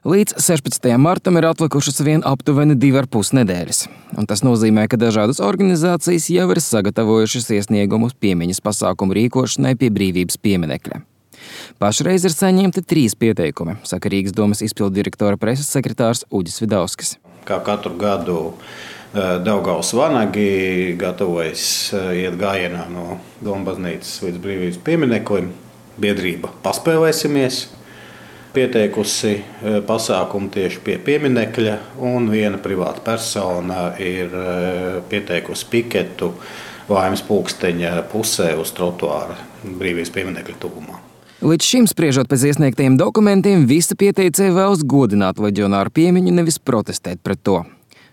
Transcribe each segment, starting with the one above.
Līdz 16. martam ir atlikušas vien aptuveni 2,5 nedēļas, un tas nozīmē, ka dažādas organizācijas jau ir sagatavojušas iesniegumus piemiņas pasākumu rīkošanai pie Brīvības pieminekļa. Pašreiz ir saņemti 3 pieteikumi, saka Rīgas domas izpilddirektora preses sekretārs Uģis Vidauskis. Kā katru gadu Daugavas vanagi gatavojas iet gājienā no Doma baznīcas līdz Brīvības piemineklim. Biedrība Paspēlēsimies pieteikusi pasākumu tieši pie pieminekļa, un viena privāta persona ir pieteikusi piketu Laimes pulksteņa pusē uz trotuāra Brīvības pieminekļa tuvumā. Līdz šim, spriežot pēc iesniegtajiem dokumentiem, visi pieteicēji vēlas godināt leģionāru piemiņu, nevis protestēt pret to.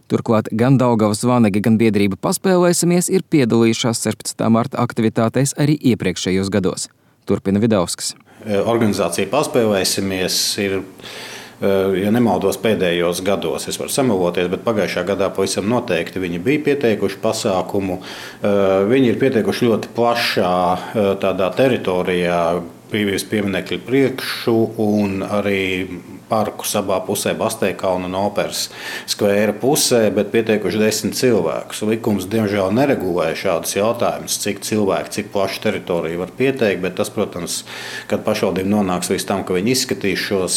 Turklāt gan Daugavas vanagi, gan biedrība Paspēlēsimies ir piedalījušās 16. marta aktivitātēs arī iepriekšējos gados. Turpina Vidauskis. Organizācija Paspēlēsimies ir, ja nemaldos, pēdējos gados. Es varu samaloties, bet pagājušā gadā pavisam noteikti viņi bija pieteikuši pasākumu. Viņi ir pieteikuši ļoti plašā tādā teritorijā, Brīvības pieminekļa priekšu un arī parku abā pusē, Basteikalna un Operas skvēra pusē, bet pieteikuši 10 cilvēkus. Likums diemžēl neregulē šādus jautājumus, cik cilvēki, cik plašu teritoriju var pieteikt, bet tas, protams, kad pašvaldība nonāks līdz tam, ka viņi izskatīs šos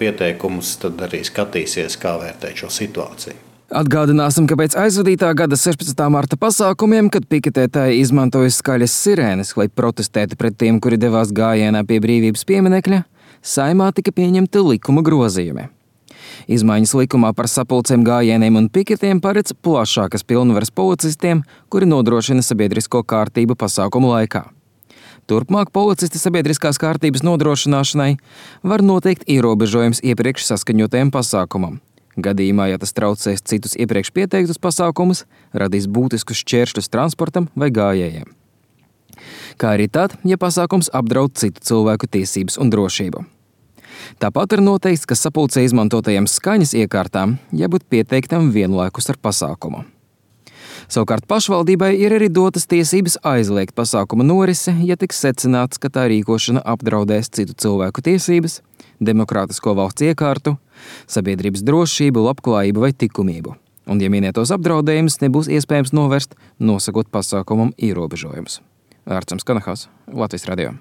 pieteikumus, tad arī skatīsies, kā vērtēt šo situāciju. Atgādināsim, ka pēc aizvadītā gada 16. marta pasākumiem, kad piketētāji izmantoja skaļas sirēnes, lai protestētu pret tiem, kuri devās gājienā pie Brīvības pieminekļa, Saeimā tika pieņemti likuma grozījumi. Izmaiņas likumā par sapulcēm, gājieniem un piketiem paredz plašākas pilnvaras policistiem, kuri nodrošina sabiedrisko kārtību pasākumu laikā. Turpmāk policisti sabiedriskās kārtības nodrošināšanai var noteikt ierobežojums iepriekš saskaņotajam pasākumam. Gadījumā, ja tas traucēs citus iepriekš pieteiktus pasākumus, radīs būtiskus šķēršļus transportam vai gājējiem. Kā arī tad, ja pasākums apdraud citu cilvēku tiesības un drošību. Tāpat ir noteikts, ka sapulcē izmantotajiem skaņas iekārtām jābūt pieteiktam vienlaikus ar pasākumu. Savukārt pašvaldībai ir arī dotas tiesības aizliegt pasākuma norisi, ja tiks secināts, ka tā rīkošana apdraudēs citu cilvēku tiesības, demokrātisko valsts iekārtu, sabiedrības drošību, labklājību vai likumību. Un, ja minētos apdraudējumus nebūs iespējams novērst, nosakot pasākumam ierobežojumus. Ārcams Kanahās, Latvijas radio.